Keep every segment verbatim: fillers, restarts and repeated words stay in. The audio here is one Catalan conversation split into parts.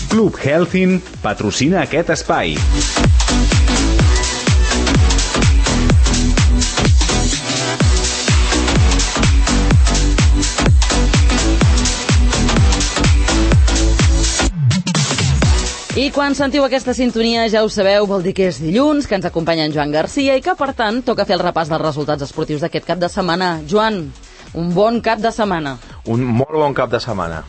Club Healthin patrocina aquest espai. I quan sentiu aquesta sintonia, ja ho sabeu, vol dir que és dilluns, que ens acompanya en Joan Garcia i que, per tant, toca fer el repàs dels resultats esportius d'aquest cap de setmana. Joan, un bon cap de setmana. Un molt bon cap de setmana.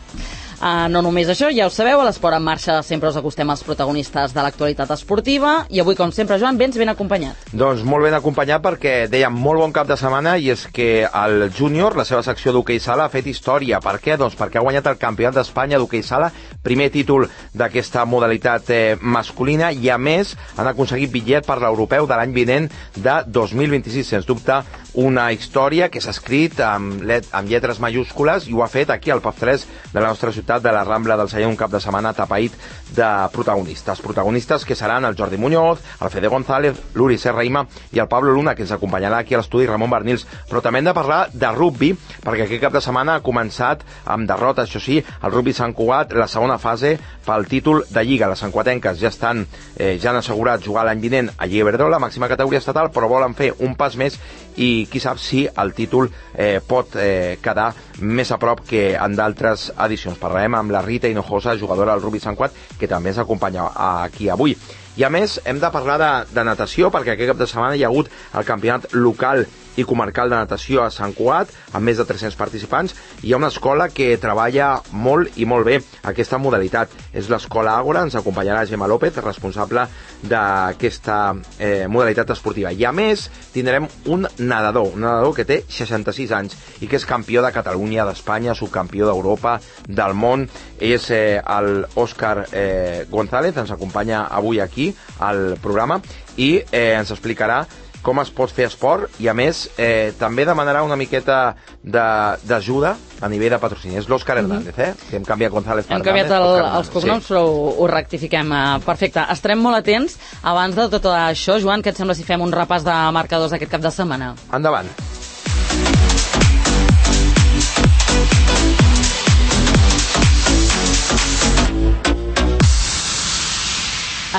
Uh, no només això, ja ho sabeu, a l'Esport en Marxa sempre us acostem als protagonistes de l'actualitat esportiva i avui, com sempre, Joan, vens ben acompanyat. Doncs molt ben acompanyat perquè dèiem molt bon cap de setmana i és que el júnior, la seva secció d'hoquei sala, ha fet història. Per què? Doncs perquè ha guanyat el campionat d'Espanya d'hoquei sala, primer títol d'aquesta modalitat eh, masculina i a més han aconseguit bitllet per l'europeu de l'any vinent de dos mil vint-i-sis, sens dubte una història que s'ha escrit amb, let, amb lletres majúscules i ho ha fet aquí al P A F tres de la nostra ciutat, de la Rambla del Sallent, un cap de setmana tapaït de protagonistes. Protagonistes que seran el Jordi Muñoz, el Fede González, l'Uri Serraima i el Pablo Luna, que ens acompanyarà aquí a l'estudi, Ramon Bernils. Però també hem de parlar de rugby, perquè aquest cap de setmana ha començat amb derrota, això sí, el rugby Sant Cugat, la segona fase pel títol de Lliga. Les santcuatenques ja estan, eh, ja han assegurat jugar l'any vinent a Lliga Iberdrola, màxima categoria estatal, però volen fer un pas més i qui sap si el títol eh, pot eh, quedar més a prop que en d'altres edicions. Parlarem amb la Rita Hinojosa, jugadora del rugby Sant Cugat, que també ens acompanya aquí avui. I a més hem de parlar de, de natació, perquè aquest cap de setmana hi ha hagut el campionat local i comarcal de natació a Sant Cugat, amb més de tres-cents participants. Hi ha una escola que treballa molt i molt bé aquesta modalitat. És l'escola Àgora, ens acompanyarà Gemma López, responsable d'aquesta eh, modalitat esportiva. I a més tindrem un nedador, un nedador que té seixanta-sis anys i que és campió de Catalunya, d'Espanya, subcampió d'Europa, del món. És eh, el Òscar eh, González, ens acompanya avui aquí al programa i eh, ens explicarà com es pot fer esport i, a més, eh, també demanarà una miqueta d'ajuda a nivell de patrocini. És l'Òscar Hernández, eh? Que hem canviat González per Hem canviat el, els cognoms, sí. Però ho, ho rectifiquem. Perfecte. Estarem molt atents. Abans de tot això, Joan, què et sembla si fem un repàs de marcadors d'aquest cap de setmana? Endavant.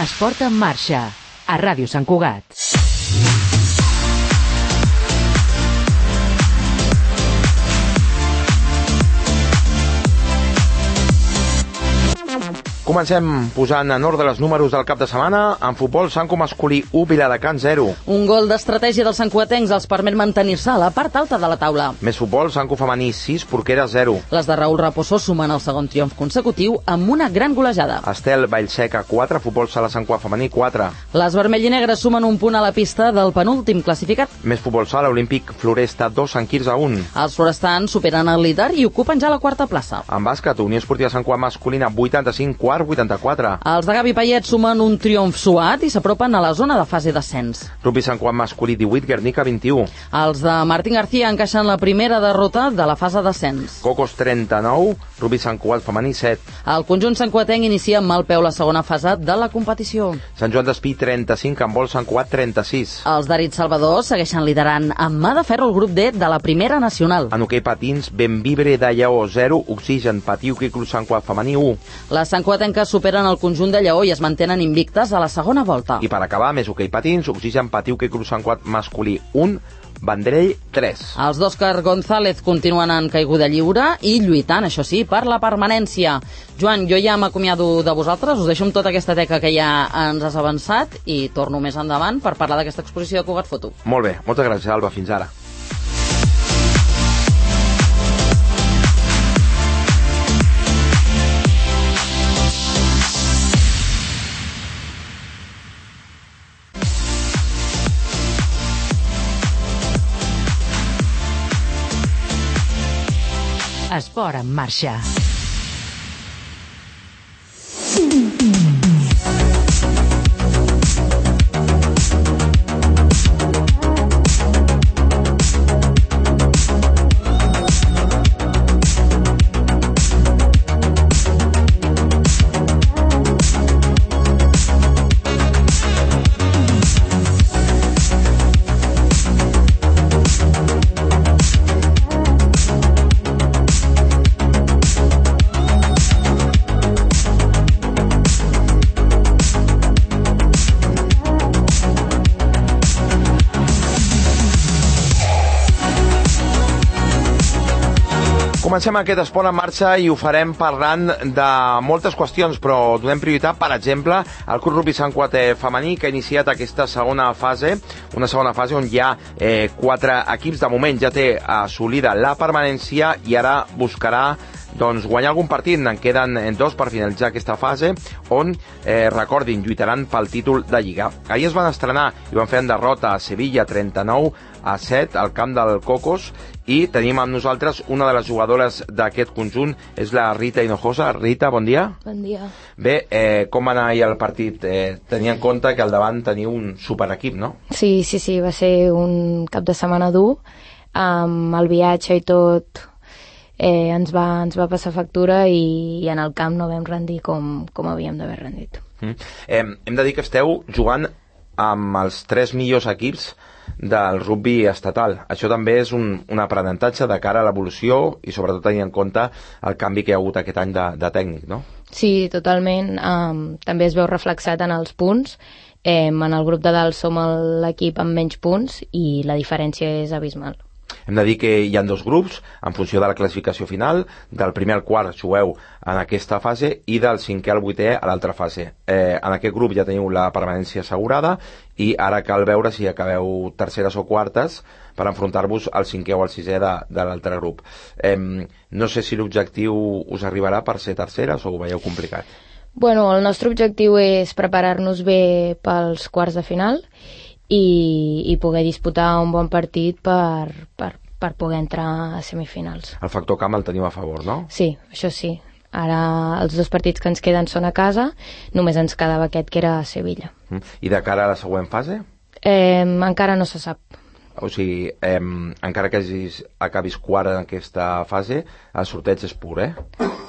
Esport en Marxa, a Ràdio Sant Cugat. Comencem posant en ordre els números del cap de setmana. En futbol, Sanco masculí u, Viladecans zero. Un gol d'estratègia dels santcuatencs els permet mantenir-se a la part alta de la taula. Més futbol, Sanco femení sis, Porquera zero. Les de Raül Raposo sumen el segon triomf consecutiu amb una gran golejada. Estel Vallseca quatre, futbol sala Sant Cugat femení quatre. Les vermell-i-negres sumen un punt a la pista del penúltim classificat. Més futbol sala, Olímpic Floresta dos, Sant Quirze un. Els florestans superen el líder i ocupen ja la quarta plaça. En bàsquet, Unió Esportiva Sant Cugat masculina vuitanta-cinc, quart vuitanta-quatre. Els de Gavi Payet sumen un triomf suat i s'apropen a la zona de fase d'ascens. Rugby Sant Cugat masculí divuit, Guernica vint-i-u. Els de Martín García encaixen la primera derrota de la fase d'ascens. Cocos trenta-nou, Rugby Sant Cugat femení set. El conjunt santcuatenc inicia amb mal peu la segona fase de la competició. Sant Joan d'Espí trenta-cinc, en vol Sant Cugat trenta-sis. Els d'Arit Salvador segueixen liderant amb mà de ferro el grup D de la primera nacional. En hoquei patins, Benvibre de Lleó zero, Oxigen Patí Hoquei Club Sant Cugat femení u. Les santcuatenques superen el conjunt de Lleó i es mantenen invictes a la segona volta. I per acabar, més hoquei patins, Oxigen Patí Hoquei Club Sant Cugat masculí un, Vendrell tres. Els d'Òscar González continuen en caiguda lliure i lluitant, això sí, per la permanència. Joan, jo ja m'acomiado de vosaltres, us deixo amb tota aquesta teca que ja ens has avançat i torno més endavant per parlar d'aquesta exposició de Cugat Foto. Molt bé, moltes gràcies, Alba, fins ara. Esport en Marxa. Comencem aquest esport en marxa i ho farem parlant de moltes qüestions, però donem prioritat, per exemple, al Club Rugby Sant Cugat femení, que ha iniciat aquesta segona fase, una segona fase on hi ha eh, quatre equips. De moment ja té assolida la permanència i ara buscarà doncs, guanyar algun partit. En queden dos per finalitzar aquesta fase, on, eh, recordin, lluitaran pel títol de Lliga. Ahir es van estrenar i van fer en derrota a Sevilla trenta-nou a set al camp del Cocos, i tenim amb nosaltres una de les jugadores d'aquest conjunt, és la Rita Hinojosa. Rita, bon dia. Bon dia. Bé, eh, com va anar ahir el partit? Eh, tenia en compte que al davant teniu un superequip, no? Sí, sí, sí, va ser un cap de setmana dur, amb el viatge i tot eh, ens, va, ens va passar factura i, i en el camp no vam rendir com, com havíem d'haver rendit. Mm. Eh, hem de dir que esteu jugant amb els tres millors equips del rugby estatal. Això també és un, un aprenentatge de cara a l'evolució i sobretot tenint en compte el canvi que hi ha hagut aquest any de, de tècnic, no? Sí, totalment. Um, també es veu reflexat en els punts. Eh, en el grup de dalt som l'equip amb menys punts i la diferència és abismal. Hem de dir que hi ha dos grups en funció de la classificació final. Del primer al quart jugueu en aquesta fase i del cinquè al vuitè a l'altra fase. Eh, en aquest grup ja teniu la permanència assegurada i ara cal veure si acabeu terceres o quartes per enfrontar-vos al cinquè o al sisè de, de l'altre grup. Eh, no sé si l'objectiu us arribarà per ser terceres o ho veieu complicat. Bueno, el nostre objectiu és preparar-nos bé pels quarts de final i, i poder disputar un bon partit per, per, per poder entrar a semifinals. El factor camp el teniu a favor, no? Sí, això sí. Ara els dos partits que ens queden són a casa, només ens quedava aquest que era a Sevilla. I de cara a la següent fase? Eh, encara no se sap. O sigui, eh, encara que hagis, acabis quart en aquesta fase, el sorteig és pur, eh?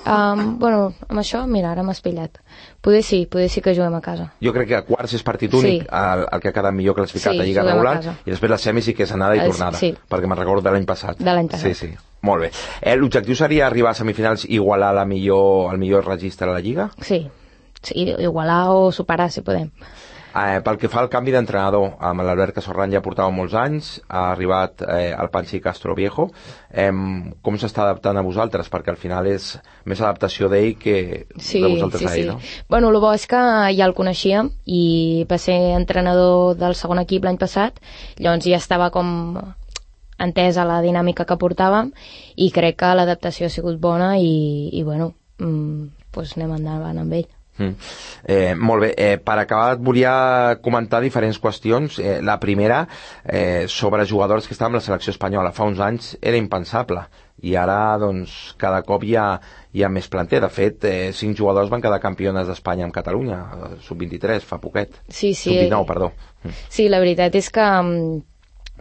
Um, bueno, amb això, mira, ara m'has pillat. Poder sí, poder sí que juguem a casa. Jo crec que quarts és partit únic, sí. el, el que ha quedat millor classificat sí, a Lliga regular, i després la semi sí que és anada i tornada, sí. perquè me'n recordo de l'any passat. De l'any passat. Sí, sí. Molt bé. Eh, L'objectiu seria arribar a semifinals i igualar la millor, el millor registre a la Lliga? Sí, sí, igualar o superar, si podem. Eh, pel que fa al canvi d'entrenador, amb l'Albert Casorran ja portava molts anys, ha arribat eh, el Panchi Castro Viejo. Eh, com s'està adaptant a vosaltres? Perquè al final és més adaptació d'ell que sí, de vosaltres sí, a ell, sí. no? Bueno, el bo és que ja el coneixíem i va ser entrenador del segon equip l'any passat, llavors ja estava com entesa la dinàmica que portàvem i crec que l'adaptació ha sigut bona i, i bueno, mm, pues anem endavant amb ell. Mm. Eh, molt bé, eh, per acabar et volia comentar diferents qüestions. eh, la primera eh, sobre jugadors que estaven amb la selecció espanyola. Fa uns anys era impensable i ara doncs cada cop hi ha, hi ha més planter. De fet, eh, cinc jugadors van quedar campiones d'Espanya amb Catalunya, sub vint-i-tres, fa poquet. Sí, sí. sub dinou, perdó. Sí, la veritat és que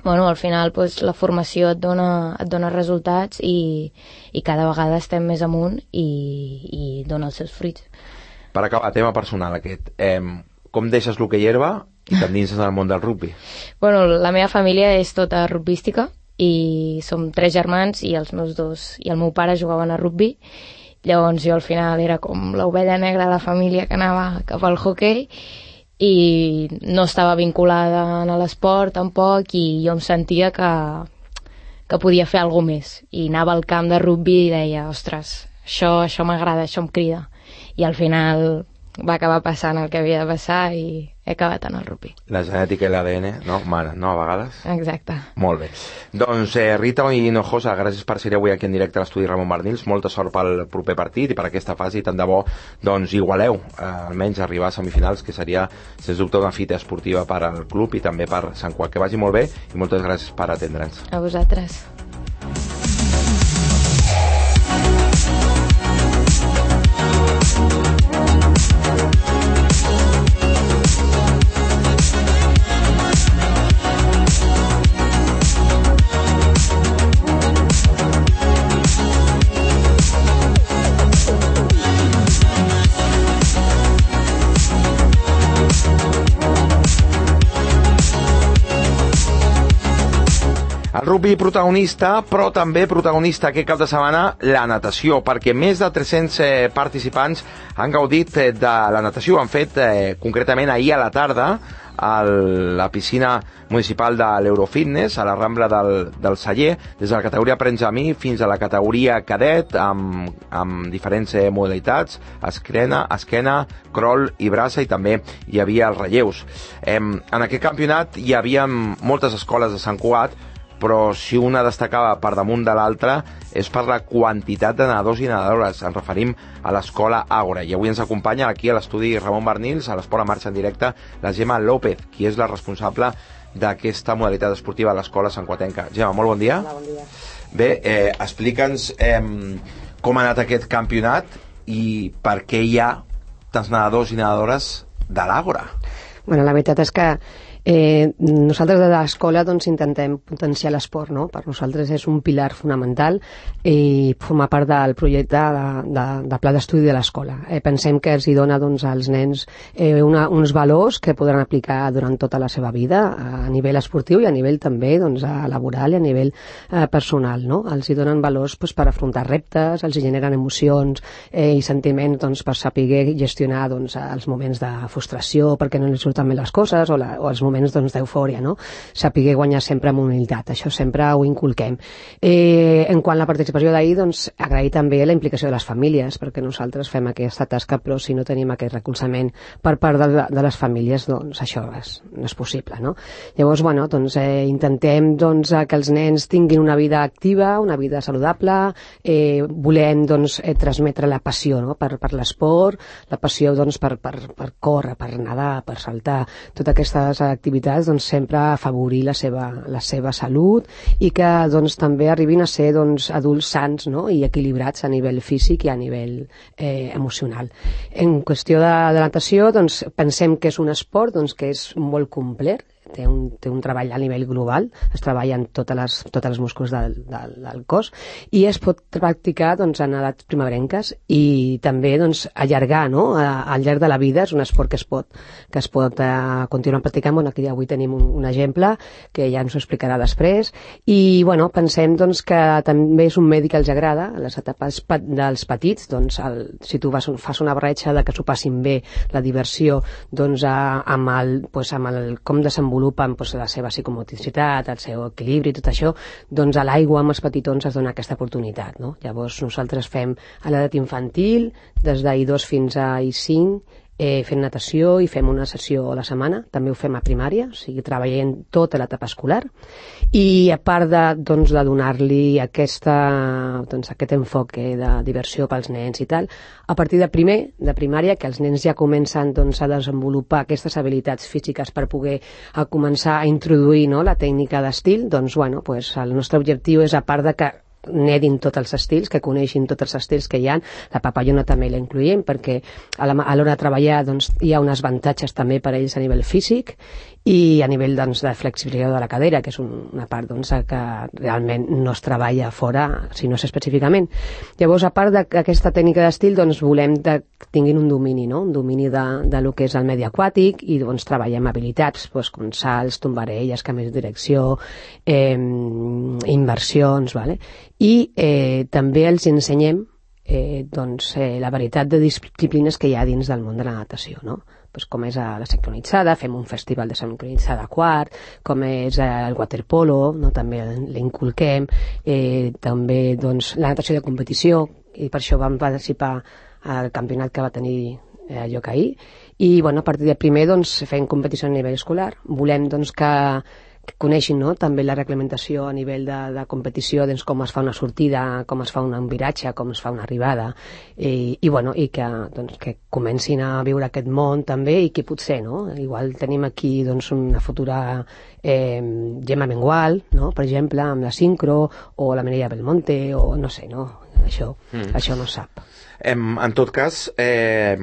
bueno, al final pues, la formació et dona, et dona resultats i, i cada vegada estem més amunt i, i dona els seus fruits. Per acabar, tema personal aquest, eh, com deixes l'hoquei herba i t'endinses en el món del rugbi? Bueno, la meva família és tota rugbística i som tres germans i els meus dos i el meu pare jugaven a rugbi, llavors jo al final era com l'ovella negra de la família que anava cap al hoquei i no estava vinculada a l'esport tampoc i jo em sentia que, que podia fer alguna més i anava al camp de rugbi i deia, ostres, això, això m'agrada, això em crida. I al final va acabar passant el que havia de passar i he acabat en el rugby. La genètica i l'A D N, no? Mare, no, a vegades? Exacte. Molt bé. Doncs eh, Rita Hinojosa, gràcies per ser avui aquí en directe a l'estudi Ramon Barnils. Molta sort pel proper partit i per aquesta fase i tant de bo, doncs igualeu, eh, almenys arribar a semifinals, que seria, sens dubte, una fita esportiva per al club i també per Sant Cugat. Que vagi molt bé i moltes gràcies per atendre'ns. A vosaltres. El rugby protagonista, però també protagonista aquest cap de setmana la natació, perquè més de tres-cents eh, participants han gaudit eh, de la natació. Han fet eh, concretament ahir a la tarda a la piscina municipal de l'Eurofitness, a la Rambla del, del Celler, des de la categoria Prenzamí fins a la categoria cadet, amb, amb diferents eh, modalitats, esquena, esquena, crawl i braça, i també hi havia els relleus. Eh, en aquest campionat hi havia moltes escoles de Sant Cugat, però si una destacava per damunt de l'altra és per la quantitat de nedadors i nedadores. Ens referim a l'escola Àgora. I avui ens acompanya aquí a l'estudi Ramon Bernils, a l'Esport en Marxa en directe, la Gemma López, qui és la responsable d'aquesta modalitat esportiva a l'escola santcuatenca. Gemma, molt bon dia. Hola, bon dia. Bé, eh, explica'ns eh, com ha anat aquest campionat i per què hi ha tants nedadors i nedadores de l'Àgora. Bueno, la veritat és que Eh, nosaltres de l'escola doncs, intentem potenciar l'esport, no? Per nosaltres és un pilar fonamental i formar part del projecte de, de, de pla d'estudi de l'escola. Eh, pensem que els hi dona doncs, als nens eh, una, uns valors que podran aplicar durant tota la seva vida a nivell esportiu i a nivell també doncs, a laboral i a nivell eh, personal. No? Els hi donen valors doncs, per afrontar reptes, els hi generen emocions eh, i sentiments doncs, per saber gestionar doncs, els moments de frustració perquè no els surten bé les coses o, la, o els moments moments doncs, d'eufòria, no? Saber guanyar sempre amb humilitat, això sempre ho inculquem. Eh, en quant a la participació d'ahir, doncs, agrair també la implicació de les famílies, perquè nosaltres fem aquesta tasca, però si no tenim aquest recolzament per part de, de les famílies, doncs això és, no és possible, no? Llavors, bueno, doncs, eh, intentem doncs, que els nens tinguin una vida activa, una vida saludable, eh, volem doncs, eh, transmetre la passió no? per, per l'esport, la passió doncs, per, per, per córrer, per nedar, per saltar, totes aquestes activitats doncs, sempre afavorir la seva, la seva salut i que doncs, també arribin a ser doncs, adults sants no? I equilibrats a nivell físic i a nivell eh, emocional. En qüestió de, de natació, doncs, pensem que és un esport doncs, que és molt complet, té un, té un treball a nivell global, es treballa en totes les, totes les músculs del, del, del cos i es pot practicar doncs, en edats primerenques i també doncs, allargar no? a, al llarg de la vida. És un esport que es pot, que es pot uh, continuar practicant. Bueno, aquí avui tenim un, un exemple que ja ens ho explicarà després i bueno, pensem doncs, que també és un medi que els agrada a les etapes pe dels petits doncs, el, si tu vas, fas una bretxa de que s'ho passin bé, la diversió doncs, a, amb, el, pues, amb el com desenvolupar desenvolupen doncs, la seva psicomoticitat, el seu equilibri i tot això, doncs a l'aigua amb els petitons es dona aquesta oportunitat. No? Llavors nosaltres fem a l'edat infantil, des d'I dos fins a I cinc, eh, fent natació i fem una sessió a la setmana, també ho fem a primària, o sigui, treballem tota l'etapa escolar i a part de, doncs, de donar-li aquesta, doncs, aquest enfoque de diversió pels nens i tal, a partir de primer, de primària, que els nens ja comencen doncs, a desenvolupar aquestes habilitats físiques per poder a començar a introduir no, la tècnica d'estil, doncs bueno, pues, el nostre objectiu és, a part de que nedin tots els estils, que coneixin tots els estils que hi ha. La papallona també la incluïm perquè a l'hora de treballar doncs, hi ha uns avantatges també per a ells a nivell físic i a nivell doncs, de flexibilitat de la cadera, que és un, una part doncs, que realment no es treballa fora, si no és específicament. Llavors, a part d'aquesta tècnica d'estil, doncs, volem que tinguin un domini, no? Un domini de, de lo que és el medi aquàtic i doncs, treballem habilitats doncs, com salts, tombarelles, canvis de direcció, eh, inversions, vale? I eh, també els ensenyem eh, doncs, eh, la varietat de disciplines que hi ha dins del món de la natació, no? Pues com és la sincronitzada, fem un festival de sincronitzada quart, com és el waterpolo, no? També l'inculquem, eh, també doncs, la natació de competició, i per això vam participar al campionat que va tenir eh, lloc ahir, i bueno, a partir de primer doncs, fem competició a nivell escolar, volem doncs, que que coneixin no? també la reglamentació a nivell de, de competició, doncs, com es fa una sortida, com es fa un viratge, com es fa una arribada, i, i, bueno, i que, doncs, que comencin a viure aquest món també i que potser, no? Igual tenim aquí doncs, una futura eh, Gemma Mengual, no? Per exemple, amb la sincro, o la Mireia Belmonte, o no sé, no? Això, mm. això no sap. En, en tot cas, eh,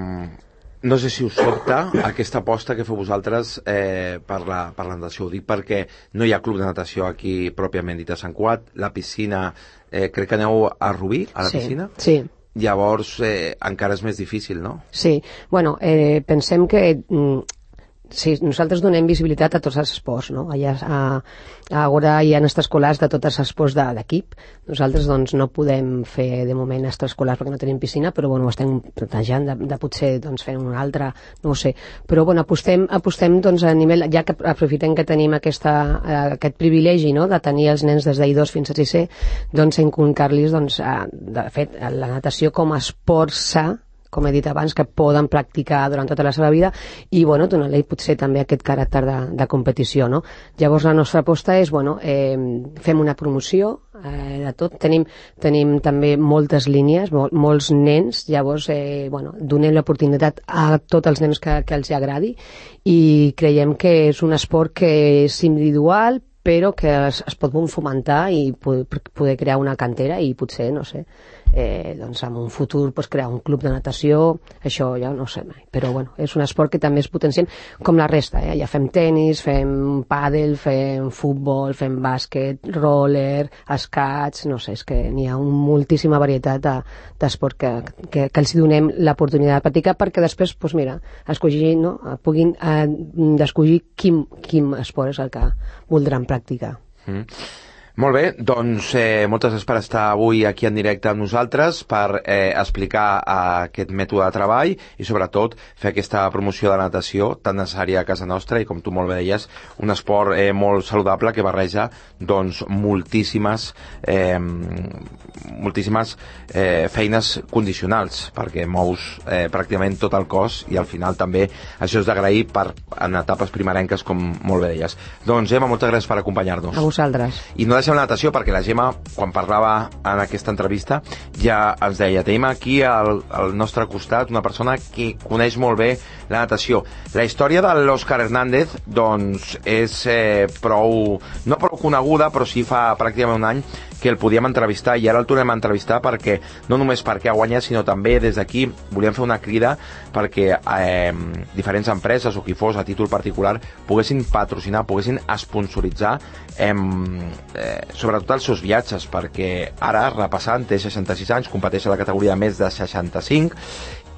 no sé si us sobta aquesta aposta que feu vosaltres eh, per, la, per la natació. Ho dic perquè no hi ha club de natació aquí pròpiament dit a Sant Cugat. La piscina, eh, crec que aneu a Rubí, a la sí, piscina? Sí. Llavors eh, encara és més difícil, no? Sí. Bueno, eh, pensem que mm, sí, nosaltres donem visibilitat a tots els esports, no? Allà, a, a ara hi ha extraescolars de tots els esports de, d'equip. Nosaltres doncs, no podem fer de moment extraescolars perquè no tenim piscina, però bueno, ho estem plantejant de, de potser doncs, fer una altra, no ho sé. Però bueno, apostem, apostem doncs, a nivell, ja que aprofitem que tenim aquesta, eh, aquest privilegi, no?, de tenir els nens des d'I dos fins a sisè, doncs inculcar-los, doncs, a, de fet, la natació com a esport sa, com he dit abans, que poden practicar durant tota la seva vida i, bueno, donar-li potser també aquest caràcter de, de competició, no? Llavors la nostra aposta és, bueno, eh, fem una promoció eh, de tot, tenim, tenim també moltes línies, mol, molts nens, llavors, eh, bueno, donem l'oportunitat a tots els nens que, que els agradi i creiem que és un esport que és individual, però que es, es pot fomentar i poder, poder crear una cantera i potser, no sé, eh, doncs en un futur pues, crear un club de natació, això ja no sé mai, però bueno, és un esport que també es potenciem com la resta, eh? Ja fem tenis, fem pàdel, fem futbol, fem bàsquet, roller, escaig, no sé, és que n'hi ha un, moltíssima varietat de, d'esport que, que, que els donem l'oportunitat de practicar perquè després, pues mira, escollir, no? puguin eh, d'escollir quin, quin esport és el que voldran practicar. Mm. Molt bé, doncs eh, moltes gràcies per estar avui aquí en directe amb nosaltres, per eh, explicar eh, aquest mètode de treball i sobretot fer aquesta promoció de natació tan necessària a casa nostra i, com tu molt bé deies, un esport eh, molt saludable que barreja doncs, moltíssimes eh, moltíssimes eh, feines condicionals perquè mous eh, pràcticament tot el cos i al final també això és d'agrair per, en etapes primerenques com molt bé deies. Doncs Gemma, moltes gràcies per acompanyar-nos. A vosaltres. I no deixem la natació perquè la Gemma, quan parlava en aquesta entrevista, ja ens deia, tenim aquí al, al nostre costat una persona que coneix molt bé la natació. La història de l'Òscar Hernández doncs és eh, prou, no prou coneguda, però sí fa pràcticament un any que el podíem entrevistar i ara el tornem a entrevistar perquè no només perquè ha guanyat, sinó també des d'aquí volíem fer una crida perquè eh, diferents empreses o qui fos a títol particular poguessin patrocinar, poguessin sponsoritzar eh, eh, sobretot els seus viatges, perquè ara, repassant, té seixanta-sis anys, competeix a la categoria de més de seixanta-cinc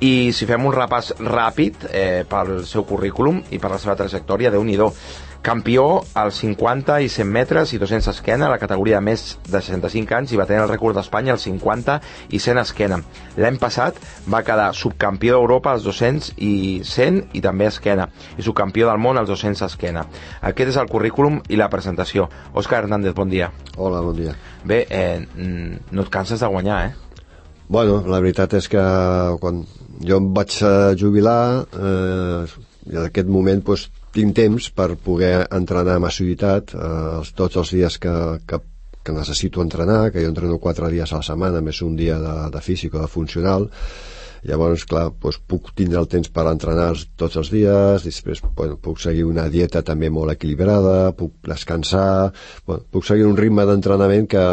i si fem un repàs ràpid eh, pel seu currículum i per la seva trajectòria, Déu-n'hi-do. Campió als cinquanta i cent metres i dos-cents esquena a la categoria de més de seixanta-cinc anys i va tenir el rècord d'Espanya als cinquanta i cent esquena. L'any passat va quedar subcampió d'Europa als dos-cents i cent i també esquena i subcampió del món als dos-cents esquena. Aquest és el currículum i la presentació. Òscar Hernández, bon dia. Hola, bon dia. Bé, eh, no et canses de guanyar, eh? Bueno, la veritat és que quan jo em vaig jubilar eh, en aquest moment doncs, tinc temps per poder entrenar amb assiduïtat eh, tots els dies que, que, que necessito entrenar, que jo entreno quatre dies a la setmana, més un dia de, de físic o de funcional. Llavors, clar, doncs puc tindre el temps per entrenar tots els dies, després bueno, puc seguir una dieta també molt equilibrada, puc descansar, bueno, puc seguir un ritme d'entrenament que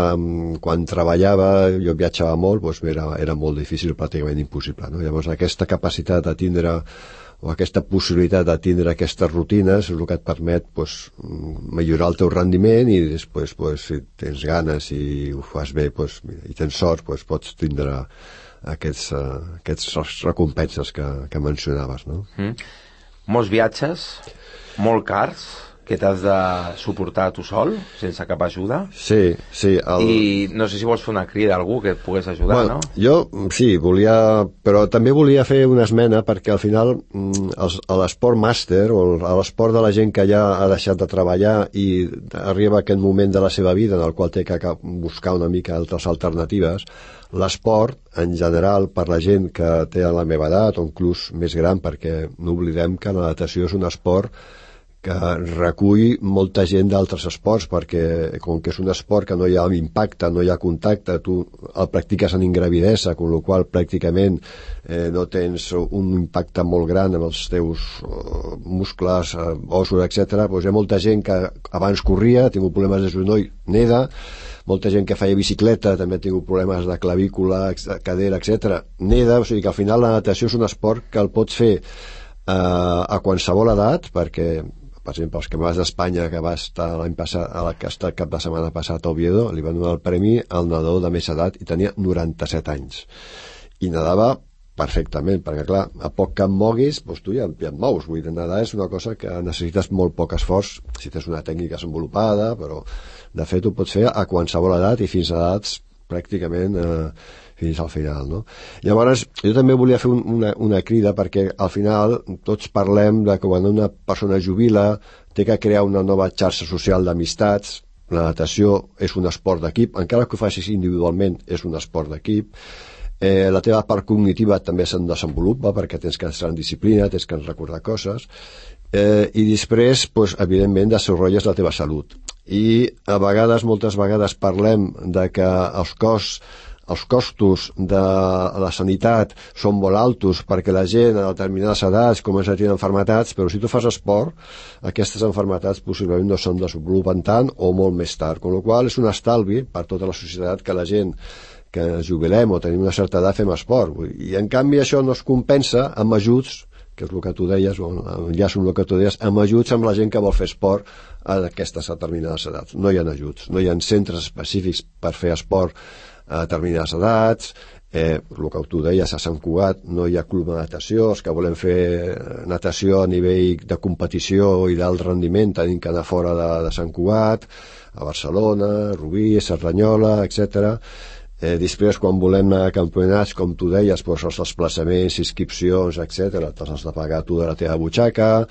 quan treballava, jo viatjava molt, doncs era, era molt difícil, pràcticament impossible, no? Llavors, aquesta capacitat de tindre o aquesta possibilitat de tindre aquestes rutines és el que et permet pues, millorar el teu rendiment i després pues, si tens ganes i ho fas bé pues, i tens sort pues, pots tindre aquests, uh, aquests recompenses que, que mencionaves, no? Mm. Molts viatges, molt cars, que t'has de suportar tu sol, sense cap ajuda. Sí, sí. El... I no sé si vols fer una crida a algú que et pogués ajudar, bueno, no? Jo, sí, volia... Però també volia fer una esmena perquè al final els, l'esport màster o l'esport de la gent que ja ha deixat de treballar i arriba a aquest moment de la seva vida en el qual té que buscar una mica altres alternatives, l'esport, en general, per la gent que té la meva edat o inclús més gran, perquè no oblidem que la natació és un esport que recull molta gent d'altres esports, perquè com que és un esport que no hi ha impacte, no hi ha contacte, tu el practiques en ingravidesa, amb la qual pràcticament eh, no tens un impacte molt gran en els teus uh, muscles, uh, ossos, etcètera. Pues hi ha molta gent que abans corria, ha tingut problemes de genoll, neda, molta gent que feia bicicleta també ha tingut problemes de clavícula, cadera, etcètera, neda, o sigui que al final la natació és un esport que el pots fer uh, a qualsevol edat, perquè per exemple, els campionats d'Espanya que va estar l'any passat, a la que està el cap de setmana passat a Oviedo, li van donar el premi al nedador de més edat i tenia noranta-set anys. I nedava perfectament, perquè clar, a poc que et moguis, doncs tu ja, ja et mous. Vull dir, nedar és una cosa que necessites molt poc esforç, si tens una tècnica desenvolupada, però de fet ho pots fer a qualsevol edat i fins a edats pràcticament eh, fins al final, no? Llavors, jo també volia fer un, una, una crida, perquè al final tots parlem de que quan una persona jubila té que crear una nova xarxa social d'amistats. La natació és un esport d'equip, encara que ho facis individualment, és un esport d'equip. Eh, la teva part cognitiva també se'n desenvolupa, perquè tens que estar en disciplina, tens que recordar coses, eh, i després, pues, evidentment, desenvolupes la teva salut. I a vegades, moltes vegades, parlem de que els costs els costos de la sanitat són molt altos perquè la gent a determinades edats comença a tenir malalties, però si tu fas esport, aquestes malalties possiblement no se'n desenvolupen tant o molt més tard, amb la qual cosa és un estalvi per tota la societat que la gent que jubilem o tenim una certa edat fem esport. I en canvi això no es compensa amb ajuts, que és el que tu deies, o enllaço amb el que tu deies, amb ajuts amb la gent que vol fer esport a aquestes determinades edats. No hi ha ajuts, no hi ha centres específics per fer esport a determinades edats, eh, el que tu deies, a Sant Cugat no hi ha club de natació, els que volem fer natació a nivell de competició i d'alt rendiment tenim que anar fora de, de Sant Cugat, a Barcelona, Rubí, Cerdanyola, etcètera. Eh, després, quan volem anar a campionats, com tu deies, doncs els desplaçaments, inscripcions, etcètera, te'ls has de pagar tu de la teva butxaca.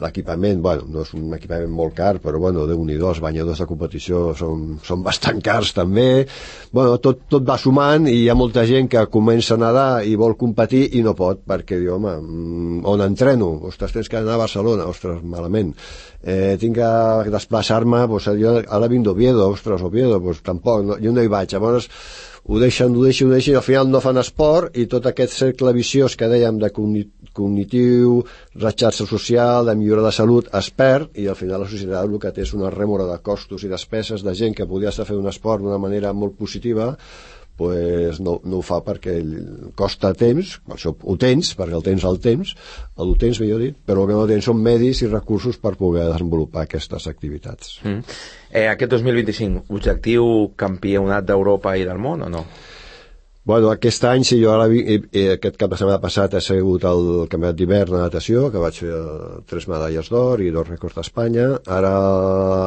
L'equipament, bueno, no és un equipament molt car, però bueno, Déu-n'hi-do, els banyadors de competició són, són bastant cars també. Bueno, tot, tot va sumant i hi ha molta gent que comença a nedar i vol competir i no pot, perquè diu, home, on entreno? Ostres, tens que anar a Barcelona, ostres, malament. Eh, tinc que desplaçar-me, doncs, jo ara vinc d'Oviedo, ostres, Oviedo, doncs tampoc, no, jo no hi vaig. Llavors, ho deixen, ho deixen, ho deixen, i al final no fan esport, i tot aquest cercle viciós que dèiem de cognitiu, la xarxa social, de millora de salut, es perd, i al final la societat el que té és una rèmora de costos i despeses de gent que podria estar fent un esport d'una manera molt positiva, pues no, no ho fa perquè costa temps, això ho tens, perquè el tens al temps, el tens, millor dit, però el que no tens són medis i recursos per poder desenvolupar aquestes activitats. Mm. Eh, aquest dos mil vint-i-cinc, objectiu campionat d'Europa i del món o no? Bueno, aquest any, sí, jo ara vi, eh, aquest cap de setmana passat he sigut el campionat d'hivern de natació, que vaig fer tres medalles d'or i dos rècords d'Espanya. Ara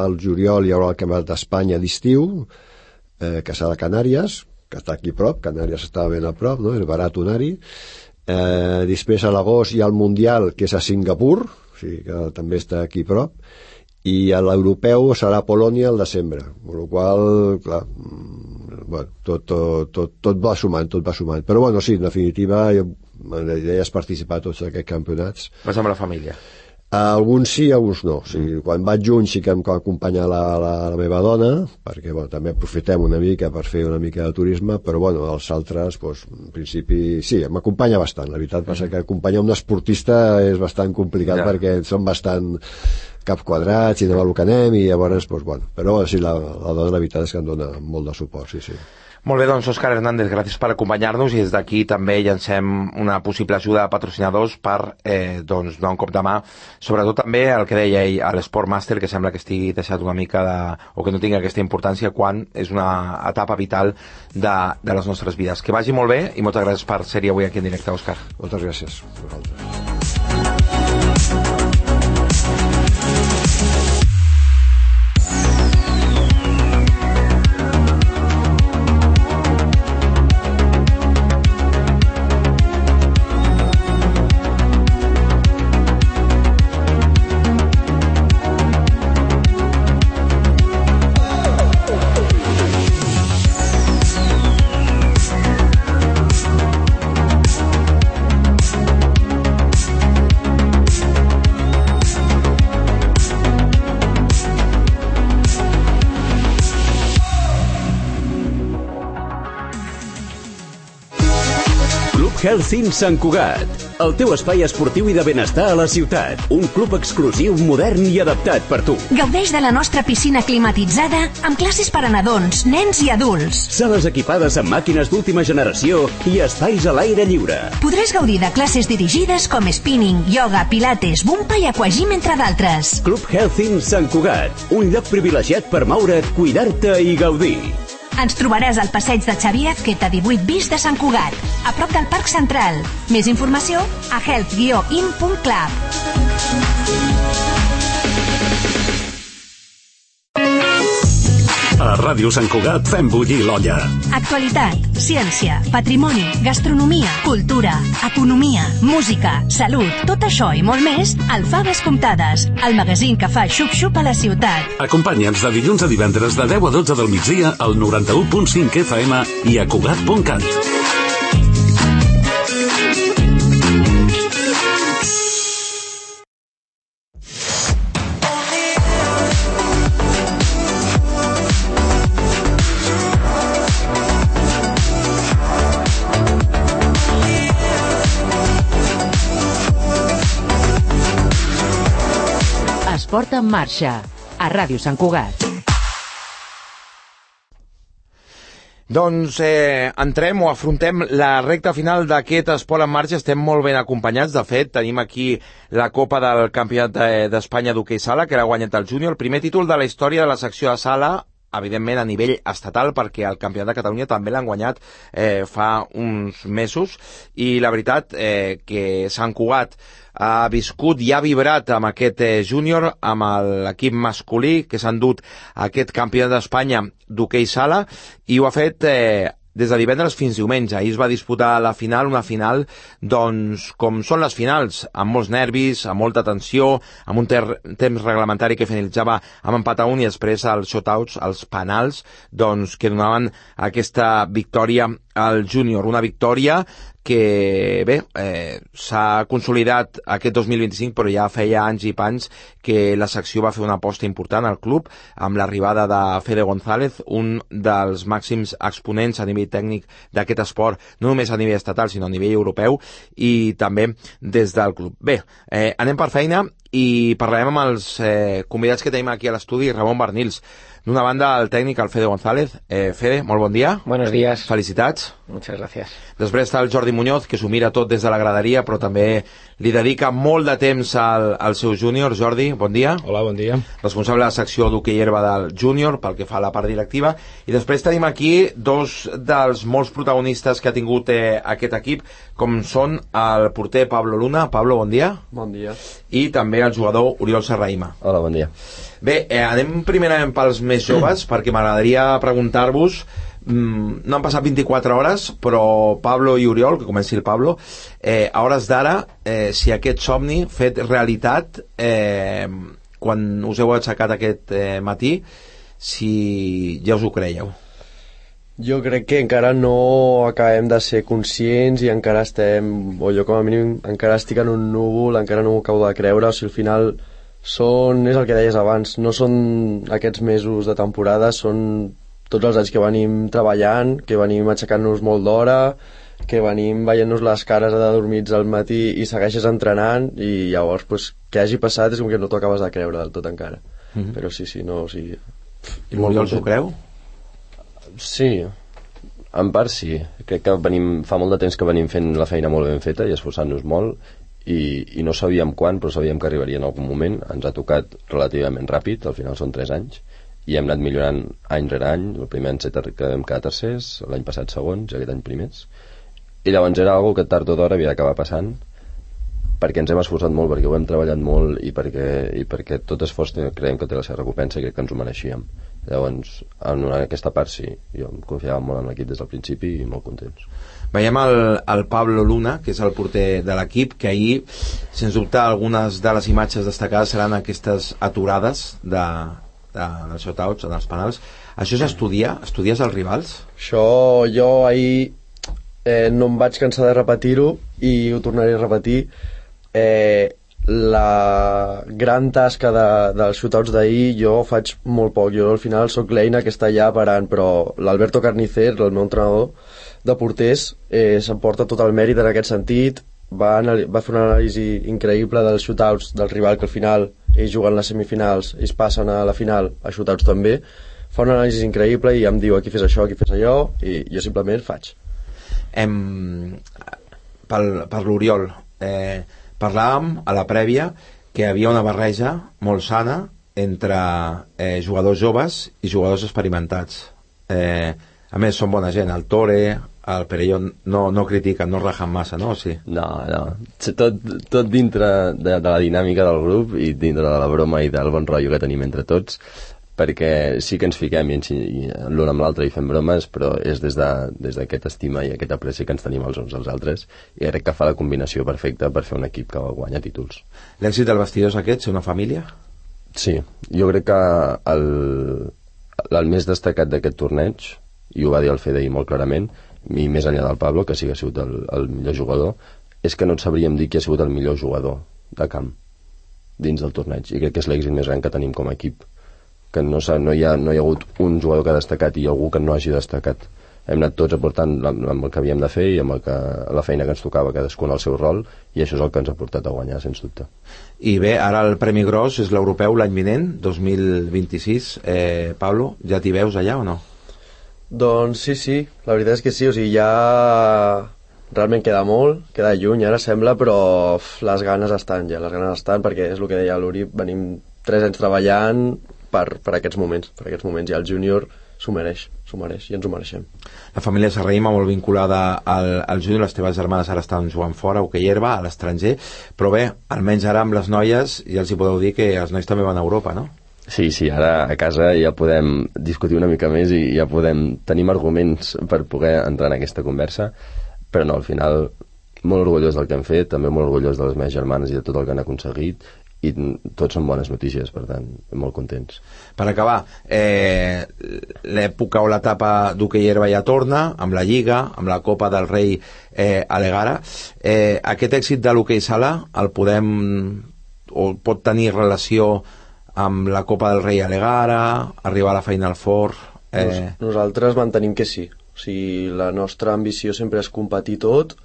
al juliol hi haurà el campionat d'Espanya d'estiu, eh, que serà a Canàries, que està aquí a prop, Canàries està ben a prop, no? És barat anar-hi. Eh, després a l'agost hi ha el Mundial, que és a Singapur, o sigui que també està aquí a prop, i a l'europeu serà a Polònia al desembre, amb la qual clar, bueno, tot, tot, tot, tot va sumant, tot va sumant. Però bueno, sí, en definitiva, la idea és participar a tots aquests campionats. Vas amb la família? Alguns sí, alguns no. O sigui, quan vaig junt sí que em acompanya la, la, la meva dona, perquè bueno, també aprofitem una mica per fer una mica de turisme, però bueno, els altres, doncs, en principi, sí, m'acompanya bastant. La veritat passa que acompanyar un esportista és bastant complicat, ja, perquè són bastant cap quadrats i anem a lo que anem, i llavors, doncs, bueno, però sí, la, la dona, la veritat és que em dona molt de suport, sí, sí. Molt bé, doncs, Òscar Hernández, gràcies per acompanyar-nos, i des d'aquí també llancem una possible ajuda de patrocinadors per eh, doncs, donar un cop de mà, sobretot també el que deia ell, a l'Sport Master, que sembla que estigui deixat una mica de, o que no tingui aquesta importància quan és una etapa vital de, de les nostres vides. Que vagi molt bé i moltes gràcies per ser-hi avui aquí en directe, Òscar. Moltes gràcies a vosaltres. Healthin Sant Cugat, el teu espai esportiu i de benestar a la ciutat. Un club exclusiu, modern i adaptat per tu. Gaudeix de la nostra piscina climatitzada amb classes per a nadons, nens i adults. Sales equipades amb màquines d'última generació i espais a l'aire lliure. Podràs gaudir de classes dirigides com spinning, yoga, pilates, bumpa i aquagym, entre d'altres. Club Healthin Sant Cugat, un lloc privilegiat per moure't, cuidar-te i gaudir. Ens trobaràs al passeig de Xavier Azqueta divuit bis de Sant Cugat, a prop del Parc Central. Més informació a health guió in punt club. A Ràdio Sant Cugat fem bullir l'olla. Actualitat, ciència, patrimoni, gastronomia, cultura, economia, música, salut, tot això i molt més al Faves Comptades, el magazín que fa xup-xup a la ciutat. Acompanya'ns de dilluns a divendres de deu a dotze del migdia al noranta-u punt cinc F M i a Cugat punt cat. Esport en marxa, a Ràdio Sant Cugat. Doncs eh, entrem o afrontem la recta final d'aquest Esport en marxa. Estem molt ben acompanyats. De fet, tenim aquí la Copa del Campionat d'Espanya d'hoquei sala, que l'ha guanyat el júnior. El primer títol de la història de la secció de sala, evidentment a nivell estatal, perquè el Campionat de Catalunya també l'han guanyat eh, fa uns mesos, i la veritat eh, que Sant Cugat ha viscut i ha vibrat amb aquest eh, júnior, amb l'equip masculí que s'ha endut aquest Campionat d'Espanya d'hoquei sala, i ho ha fet eh, des de divendres fins diumenge. Ahir es va disputar la final, una final, doncs, com són les finals, amb molts nervis, amb molta tensió, amb un temps reglamentari que finalitzava amb empat a un, i després els shotouts, els penals, doncs, que donaven aquesta victòria al júnior. Una victòria que, bé, eh, s'ha consolidat aquest dos mil vint-i-cinc, però ja feia anys i panys que la secció va fer una aposta important al club, amb l'arribada de Fede González, un dels màxims exponents a nivell tècnic d'aquest esport, no només a nivell estatal, sinó a nivell europeu, i també des del club. Bé, eh, anem per feina i parlarem amb els eh, convidats que tenim aquí a l'estudi. Ramon Barnils, d'una banda el tècnic, el Fede González. Eh, Fede, molt bon dia. Buenos días. Felicitats. Muchas gracias. Després està el Jordi Muñoz, que s'ho mira tot des de la graderia, però també li dedica molt de temps al, al seu júnior. Jordi, bon dia. Hola, bon dia. Responsable de la secció d'hoquei herba del júnior, pel que fa a la part directiva. I després tenim aquí dos dels molts protagonistes que ha tingut eh, aquest equip, com són el porter Pablo Luna. Pablo, bon dia. Bon dia. I també el jugador Oriol Serraima. Hola, bon dia. Bé, eh, anem primerament pels més joves, perquè m'agradaria preguntar-vos, mm, no han passat vint-i-quatre hores, però Pablo i Oriol, que comenci el Pablo, eh, a hores d'ara, eh, si aquest somni fet realitat, eh, quan us heu aixecat aquest eh, matí, si ja us ho creieu. Jo crec que encara no acabem de ser conscients i encara estem, o jo com a mínim encara estic en un núvol, encara no m'ho acabo de creure. O sigui, al final són, és el que deies abans, no són aquests mesos de temporada, són tots els anys que venim treballant, que venim aixecant-nos molt d'hora, que venim veient-nos les cares adormits al matí i segueixes entrenant, i llavors pues, que hagi passat és com que no t'ho acabes de creure del tot encara. Mm-hmm. Però sí, sí, no, o sigui... I l'Oriol s'ho creu? Sí, en part sí. Crec que venim, fa molt de temps que venim fent la feina molt ben feta i esforçant-nos molt, i, i no sabíem quan, però sabíem que arribaria en algun moment. Ens ha tocat relativament ràpid, al final són tres anys, i hem anat millorant any rere any. El primer any que vam quedar tercers, l'any passat segons, i aquest any primers, i llavors era algo que tard o d'hora havia d'acabar passant, perquè ens hem esforçat molt, perquè ho hem treballat molt, i perquè, i perquè tot esforç creiem que té la seva recompensa i crec que ens ho mereixíem. Llavors, en aquesta part sí, jo em confiava molt en l'equip des del principi i molt contents. Veiem el, el Pablo Luna, que és el porter de l'equip, que ahir, sens dubte, algunes de les imatges destacades seran aquestes aturades de, de, dels shotouts, dels penals. Això s'estudia? Estudies els rivals? Això jo ahir eh, no em vaig cansar de repetir-ho i ho tornaré a repetir. Eh, la gran tasca de, dels shootouts d'ahir jo faig molt poc, jo al final sóc l'eina que està allà parant, però l'Alberto Carnicer, el meu entrenador de porters, eh, s'emporta tot el mèrit en aquest sentit. Va, va fer una anàlisi increïble dels shootouts del rival, que al final ells juguen les semifinals, ells passen a la final a shootouts també, fa una anàlisi increïble i em diu aquí fes això, aquí fes allò, i jo simplement faig. Em, per, per l'Oriol, eh, parlàvem a la prèvia que hi havia una barreja molt sana entre eh, jugadors joves i jugadors experimentats. Eh, a més, són bona gent. El Tore, el Perelló no, no critiquen, no rajen massa, no? Sí. No, no. Tot, tot dintre de, de la dinàmica del grup i dintre de la broma i del bon rotllo que tenim entre tots, perquè sí que ens fiquem i, i l'un amb l'altre i fem bromes, però és des d'aquesta de, des estima i aquest apreci que ens tenim els uns als altres, i crec que fa la combinació perfecta per fer un equip que guanya títols. L'èxit del vestidor és aquest, ser una família? Sí, jo crec que el, el més destacat d'aquest torneig, i ho va dir el Fede ahir molt clarament, i més enllà del Pablo, que sí que ha sigut el, el millor jugador, és que no et sabríem dir qui ha sigut el millor jugador de camp dins del torneig, i crec que és l'èxit més gran que tenim com a equip, que no, no, hi ha, no hi ha hagut un jugador que ha destacat i algú que no hagi destacat. Hem anat tots aportant amb el que havíem de fer i amb el que, la feina que ens tocava cadascun al seu rol, i això és el que ens ha portat a guanyar, sens dubte. I bé, ara el Premi Gros és l'europeu l'any vinent, dos mil vint-i-sis. eh, Pablo, ja t'hi veus allà o no? Doncs sí, sí, la veritat és que sí, o sigui, ja realment queda molt, queda lluny ara sembla, però uf, les ganes estan ja, les ganes estan, perquè és el que deia l'Uri, venim tres anys treballant per, per aquests moments, per aquests moments, i el júnior s'ho mereix, s'ho mereix, i ens ho mereixem. La família Serraïma molt vinculada al, al júnior, les teves germanes ara estan jugant fora, hoquei herba, a l'estranger, però bé, almenys ara amb les noies ja els hi podeu dir que els nois també van a Europa, no? Sí, sí, ara a casa ja podem discutir una mica més i ja podem, tenim arguments per poder entrar en aquesta conversa, però no, al final molt orgullós del que hem fet, també molt orgullós de les meves germanes i de tot el que han aconseguit, i tots són bones notícies, per tant, molt contents. Per acabar, eh, l'època o l'etapa d'hoquei herba ja torna, amb la Lliga, amb la Copa del Rei eh, a l'Egara. Eh, aquest èxit de l'hoquei sala el podem, o pot tenir relació amb la Copa del Rei a l'Egara, arribar a la Final Four? Eh... Nos, nosaltres mantenim que sí. O sigui, la nostra ambició sempre és competir tot,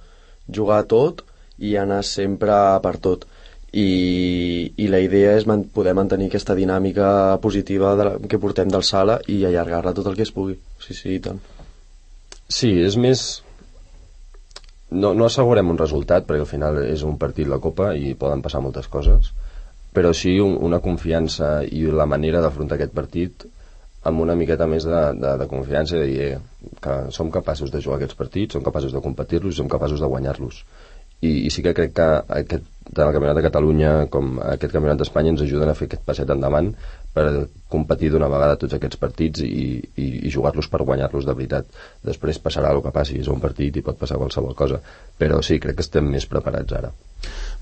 jugar tot i anar sempre per tot. I, i la idea és man, poder mantenir aquesta dinàmica positiva de la, que portem del sala i allargar-la tot el que es pugui. Sí, sí, i tant. Sí, és més... No, no assegurem un resultat, perquè al final és un partit la Copa i poden passar moltes coses, però sí un, una confiança i la manera d'afrontar aquest partit amb una miqueta més de, de, de confiança, de dir que som capaços de jugar aquests partits, som capaços de competir-los i som capaços de guanyar-los. I, i sí que crec que aquest, tant el Campionat de Catalunya com aquest Campionat d'Espanya ens ajuden a fer aquest passet endavant per competir d'una vegada tots aquests partits i, i, i jugar-los per guanyar-los de veritat. Després passarà el que passi, és un partit i pot passar qualsevol cosa, però sí, crec que estem més preparats ara.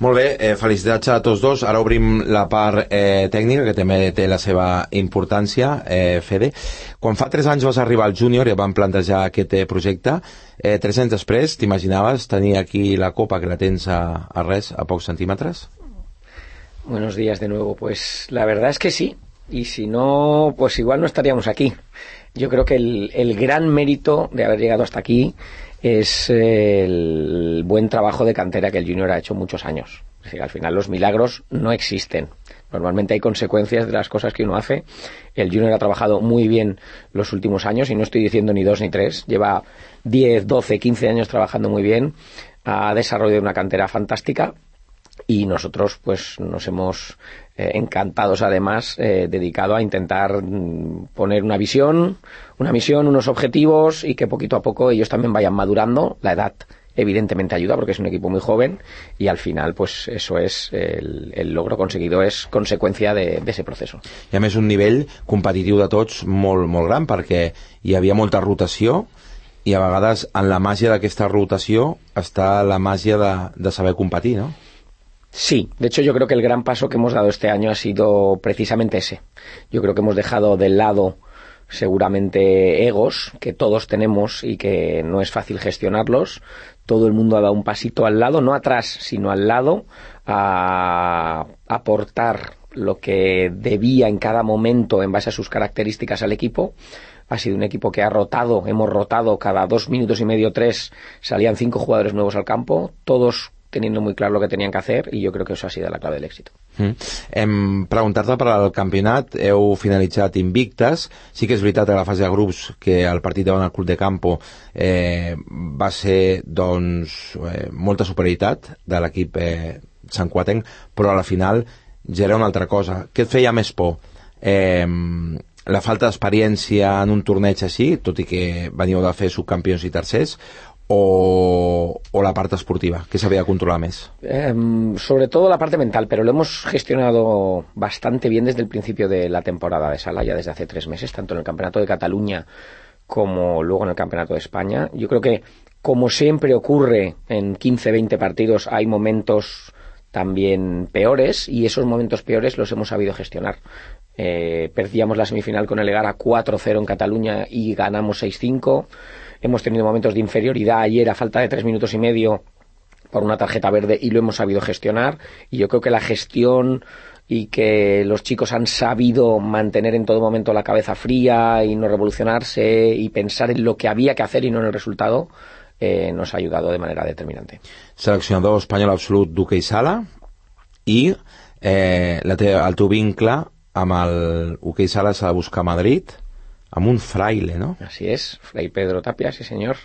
Molt bé, eh, felicitats a tots dos. Ara obrim la part eh, tècnica, que també té la seva importància. eh, Fede, quan fa tres anys vas arribar al júnior i vam plantejar aquest eh, projecte, eh, tres anys després t'imaginaves tenir aquí la Copa, que la tens a, a res, a pocs centímetres? Buenos días de nuevo. Pues la verdad es que sí, y si no, pues igual no estaríamos aquí. Yo creo que el, el gran mérito de haber llegado hasta aquí es el buen trabajo de cantera que el junior ha hecho muchos años. Es decir, al final los milagros no existen. Normalmente hay consecuencias de las cosas que uno hace. El junior ha trabajado muy bien los últimos años, y no estoy diciendo ni dos ni tres. Lleva diez, doce, quince años trabajando muy bien. Ha desarrollado una cantera fantástica. Y nosotros pues nos hemos eh, encantados además eh, dedicado a intentar mm, poner una visión, una misión, unos objetivos, y que poquito a poco ellos también vayan madurando. La edad evidentemente ayuda porque es un equipo muy joven, y al final pues eso es el, el logro conseguido es consecuencia de, de ese proceso. I a més un nivell competitiu de tots molt, molt gran, perquè hi havia molta rotació, i a vegades en la màgia d'aquesta rotació està la màgia de, de saber competir, no? Sí, de hecho yo creo que el gran paso que hemos dado este año ha sido precisamente ese. Yo creo que hemos dejado de lado seguramente egos que todos tenemos y que no es fácil gestionarlos. Todo el mundo ha dado un pasito al lado, no atrás, sino al lado, a aportar lo que debía en cada momento en base a sus características al equipo. Ha sido un equipo que ha rotado, hemos rotado cada dos minutos y medio, tres, salían cinco jugadores nuevos al campo, todos teniendo muy claro lo que tenían que hacer, y yo creo que eso ha sido la clave del éxito. Mm. Em, preguntar-te per al campionat, heu finalitzat invictes. Sí que és veritat a la fase de grups que el partit davant el Club de Campo eh, va ser doncs eh, molta superioritat de l'equip eh, santcuatenc, però a la final ja era una altra cosa. Què et feia més por? Eh, la falta d'experiència en un torneig així, tot i que veniu de fer subcampions i tercers, o, o la parte esportiva, que se había controlado más? Eh, sobre todo la parte mental, pero lo hemos gestionado bastante bien desde el principio de la temporada de sala, ya desde hace tres meses, tanto en el Campeonato de Cataluña como luego en el Campeonato de España. Yo creo que, como siempre ocurre en quince veinte partidos, hay momentos también peores, y esos momentos peores los hemos sabido gestionar. Eh, perdíamos la semifinal con el Egara cuatro cero en Cataluña y ganamos seis cinco. Hemos tenido momentos de inferioridad ayer a falta de tres minutos y medio por una tarjeta verde y lo hemos sabido gestionar, y yo creo que la gestión y que los chicos han sabido mantener en todo momento la cabeza fría y no revolucionarse y pensar en lo que había que hacer y no en el resultado, eh, nos ha ayudado de manera determinante. Seleccionador espanyol absolut d'hoquei sala, i eh, la te, el teu vincle amb el hoquei sala s'ha de buscar a Madrid, amb un fraile, ¿no? Así es, Fray Pedro Tapia, sí señor,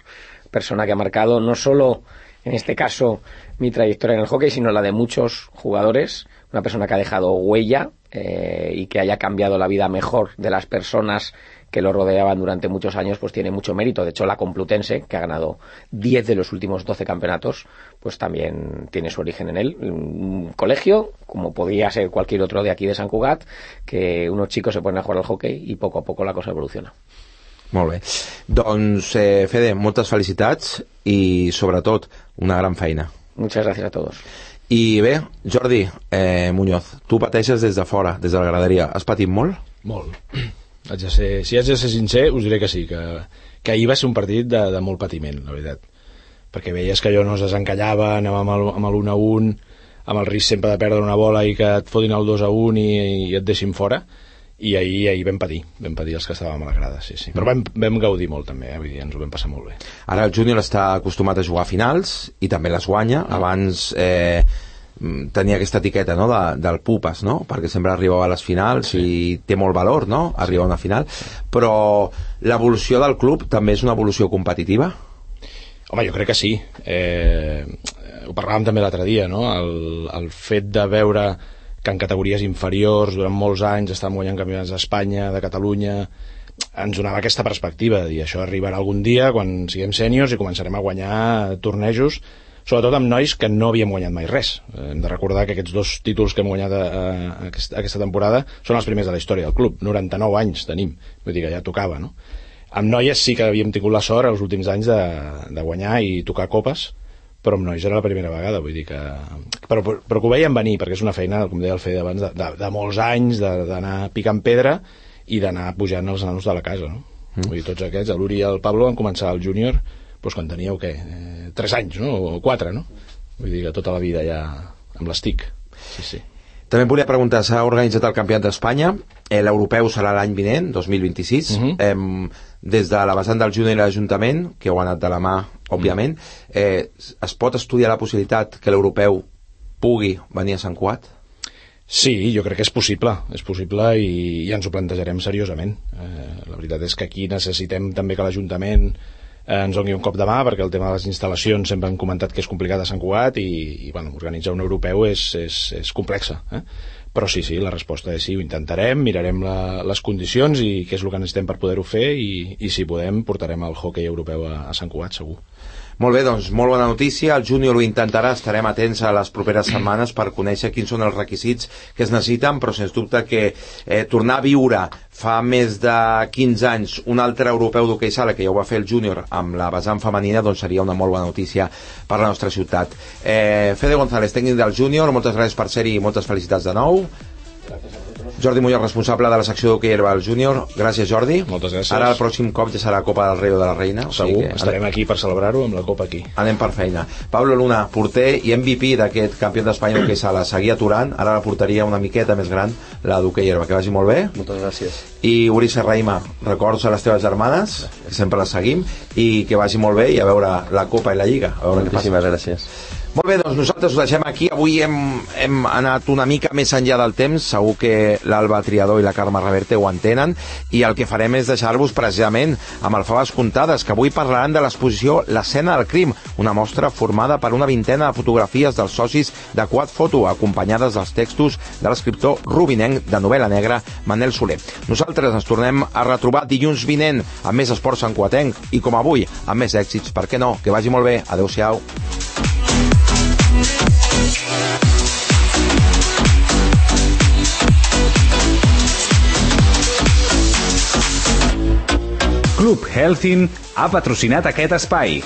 persona que ha marcado no solo, en este caso, mi trayectoria en el hockey, sino la de muchos jugadores, una persona que ha dejado huella eh, y que haya cambiado la vida mejor de las personas que lo rodeaban durante muchos años, pues tiene mucho mérito. De hecho, la Complutense, que ha ganado diez de los últimos doce campeonatos, pues también tiene su origen en él. Un colegio, como podría ser cualquier otro de aquí de Sant Cugat, que unos chicos se ponen a jugar al hockey y poco a poco la cosa evoluciona. Molt bé. Doncs, eh, Fede, moltes felicitats i, sobretot, una gran feina. Muchas gracias a todos. I bé, Jordi eh, Muñoz, tu pateixes des de fora, des de la graderia. Has patit molt? Molt. Haig de ser, si haig de ser sincer, us diré que sí, que, que ahir va ser un partit de, de molt patiment, la veritat. Perquè veies que allò no es desencallava, anàvem amb l'un a un, amb el risc sempre de perdre una bola i que et fotin el dos a un i, i et deixin fora. I ahir, ahir vam patir, vam patir els que estàvem a la grada, sí, sí. Però vam, vam gaudir molt també, eh? Vull dir, ens ho vam passar molt bé. Ara el júnior està acostumat a jugar a finals i també les guanya. Ah. Abans eh, tenia aquesta etiqueta, no?, de, del Pupas, no?, perquè sempre arribava a les finals, sí, i té molt valor, no?, arribar a una final. Però l'evolució del club també és una evolució competitiva? Home, jo crec que sí. Eh, ho parlàvem també l'altre dia, no?, el, el fet de veure que en categories inferiors durant molts anys estàvem guanyant campionats d'Espanya, de Catalunya, ens donava aquesta perspectiva de dir, això arribarà algun dia quan siguem sèniors i començarem a guanyar tornejos, sobretot amb nois que no havíem guanyat mai res. Hem de recordar que aquests dos títols que hem guanyat a, a, a aquesta temporada són els primers de la història del club. noranta-nou anys tenim, vull dir que ja tocava, no? Amb noies sí que havíem tingut la sort els últims anys de, de guanyar i tocar copes, però amb nois era la primera vegada, vull dir que... Però, però que ho veiem venir, perquè és una feina, com deia el Fede abans, de, de, de molts anys, d'anar picant pedra i d'anar pujant els nanos de la casa, no? Mm. Vull dir, tots aquests, l'Uri i el Pablo van començar al júnior doncs quan teníeu, què, eh, tres anys, no?, o quatre, no? Vull dir que tota la vida ja amb les T I C. Sí, sí. També em volia preguntar, s'ha organitzat el Campionat d'Espanya, eh, l'europeu serà l'any vinent, dos mil vint-i-sis, uh-huh. eh, des de la vessant del júnior i l'Ajuntament, que heu anat de la mà, òbviament, eh, es pot estudiar la possibilitat que l'europeu pugui venir a Sant Cugat? Sí, jo crec que és possible, és possible i ja ens ho plantejarem seriosament. Eh, la veritat és que aquí necessitem també que l'Ajuntament eh, ens doni un cop de mà, perquè el tema de les instal·lacions sempre han comentat que és complicat a Sant Cugat i, i bueno, organitzar un europeu és, és, és complexa, eh? Però sí, sí, la resposta és sí, ho intentarem, mirarem la, les condicions i què és el que necessitem per poder-ho fer i, i si podem portarem el hoquei europeu a, a Sant Cugat, segur. Molt bé, doncs, molt bona notícia. El júnior ho intentarà, estarem atents a les properes setmanes per conèixer quins són els requisits que es necessiten, però sens dubte que eh, tornar a viure fa més de quinze anys un altre europeu d'hoquei sala, que ja ho va fer el júnior amb la vessant femenina, doncs seria una molt bona notícia per la nostra ciutat. Eh, Fede González, tècnic del júnior, moltes gràcies per ser-hi i moltes felicitats de nou. Jordi Muñoz, responsable de la secció d'hoquei herba del júnior. Gràcies, Jordi. Moltes gràcies. Ara el pròxim cop ja serà la Copa del Rei o de la Reina. Segur, o sigui que estarem anem... aquí per celebrar-ho amb la Copa aquí. Anem per feina. Pablo Luna, porter i M V P d'aquest campió d'Espanya d'hoquei sala, seguia aturant, ara la porteria una miqueta més gran, la d'hoquei herba. Que vagi molt bé. Moltes gràcies. I Uri Serraima, records a les teves germanes, que sempre les seguim, i que vagi molt bé i a veure la Copa i la Lliga. A veure moltíssimes gràcies. Molt bé, doncs nosaltres ho deixem aquí. Avui hem, hem anat una mica més enllà del temps. Segur que l'Alba Triador i la Carme Reverte ho entenen. I el que farem és deixar-vos precisament amb el Faves Comptades, que avui parlaran de l'exposició L'escena del crim, una mostra formada per una vintena de fotografies dels socis de Quad Photo, acompanyades dels textos de l'escriptor rubinenc de novel·la negra Manel Soler. Nosaltres ens tornem a retrobar dilluns vinent amb més esports santcugatenc i, com avui, amb més èxits. Per què no? Que vagi molt bé. Adéu-siau. Club Helsin ha patrocinat aquest espai.